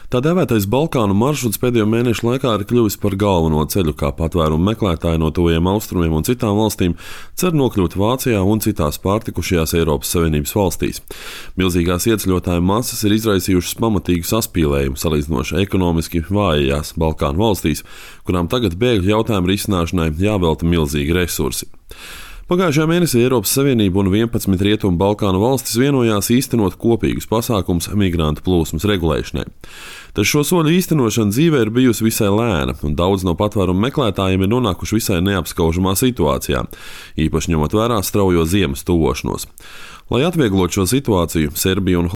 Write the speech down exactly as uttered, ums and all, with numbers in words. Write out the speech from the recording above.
Tā dēvētais Balkānu maršruts pēdējo mēnešu laikā ir kļuvis par galveno ceļu, kā patvērumu meklētāji no tuvajiem austrumiem un citām valstīm cer nokļūt Vācijā un citās pārtikušajās Eiropas Savienības valstīs. Milzīgās ieceļotāju masas ir izraisījušas pamatīgu saspīlējumu salīdzinoši ekonomiski vājajās Balkānu valstīs, kurām tagad bēgļu jautājumu risināšanai jāvelta milzīgi resursi. Pagājušajā mēnesī Eiropas Savienība un vienpadsmit Rietumu Balkānu valstis vienojās īstenot kopīgus pasākumus migrantu plūsmas regulēšanai. Taču šo soļu īstenošana dzīvē ir bijusi visai lēna, un daudz no patvērumu meklētājiem ir nonākuši visai neapskaužamā situācijā, īpaši ņemot vērā straujo ziemas tuvošanos. Lai atvieglotu šo situāciju, Serbija un